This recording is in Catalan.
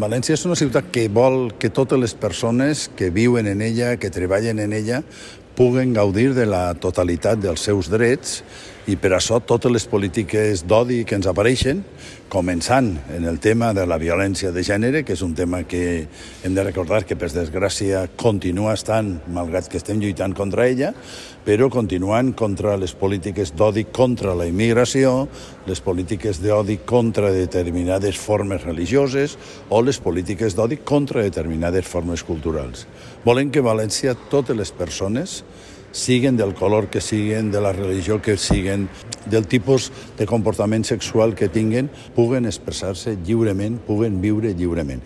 València és una ciutat que vol que totes les persones que viuen en ella, que treballen en ella, puguen gaudir de la totalitat dels seus drets i per això totes les polítiques d'odi que ens apareixen, començant en el tema de la violència de gènere, que és un tema que hem de recordar que per desgràcia continua estant, malgrat que estem lluitant contra ella, però continuant contra les polítiques d'odi contra la immigració, les polítiques d'odi contra determinades formes religioses o les polítiques d'odi contra determinades formes culturals. Volem que a València totes les persones, siguen del color que siguen, de la religió que siguen, del tipus de comportament sexual que tinguen, puguen expressar-se lliurement, puguen viure lliurement.